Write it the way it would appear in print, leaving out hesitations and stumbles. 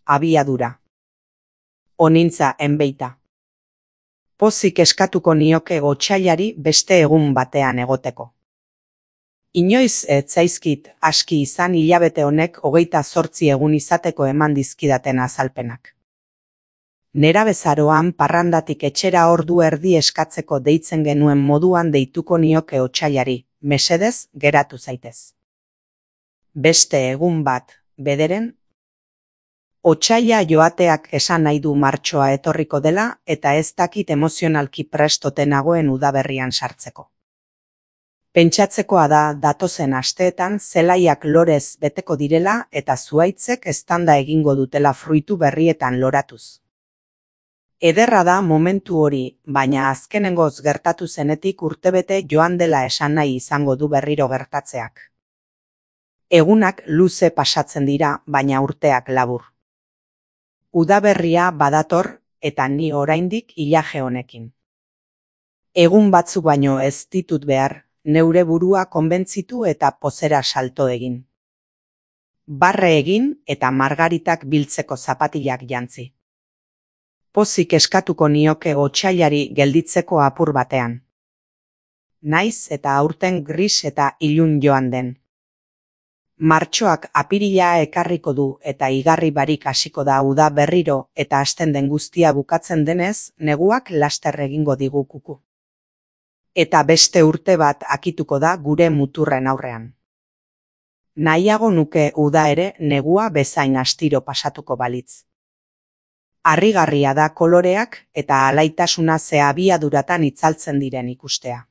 abiadura. Onintza enbeita. Pozik eskatuko nioke otsailari beste egun batean egoteko. Inoiz ez zaizkit aski izan hilabete honek 28 egun izateko eman dizkidaten azalpenak. Nerabezaroan parrandatik etxera ordu erdi eskatzeko deitzen genuen moduan deituko nioke otsailari, mesedez geratu zaitez. Beste egun bat, bederen, otsaila joateak esan nahi du martxoa etorriko dela eta ez dakit emozionalki prest ote nagoen udaberrian sartzeko. Pentsatzekoa da datozen asteetan zelaiak lorez beteko direla eta zuhaitzek eztanda egingo dutela fruitu berrietan loratuz. Ederra da momentu hori, baina azkenengoz gertatu zenetik urtebete joan dela esan nahi izango du berriro gertatzeak. Egunak luze pasatzen dira, baina urteak labur. Udaberria badator eta ni oraindik ilaje honekin. Egun batzuk baino ez ditut behar, neure burua konbentzitu eta pozera salto egin. Barre egin eta margaritak biltzeko zapatilak jantzi. Pozik eskatuko nioke otsailari gelditzeko apur batean. Naiz eta aurten gris eta ilun joan den. Martxoak apirila ekarriko du eta igarri barik hasiko da uda berriro eta hasten den guztia bukatzen denez, neguak laster egingo digu kuku. Eta beste urte bat akituko da gure muturren aurrean. Nahiago nuke uda ere negua bezain astiro pasatuko balitz. Harrigarria da koloreak eta alaitasuna ze abiaduratan itzaltzen diren ikustea.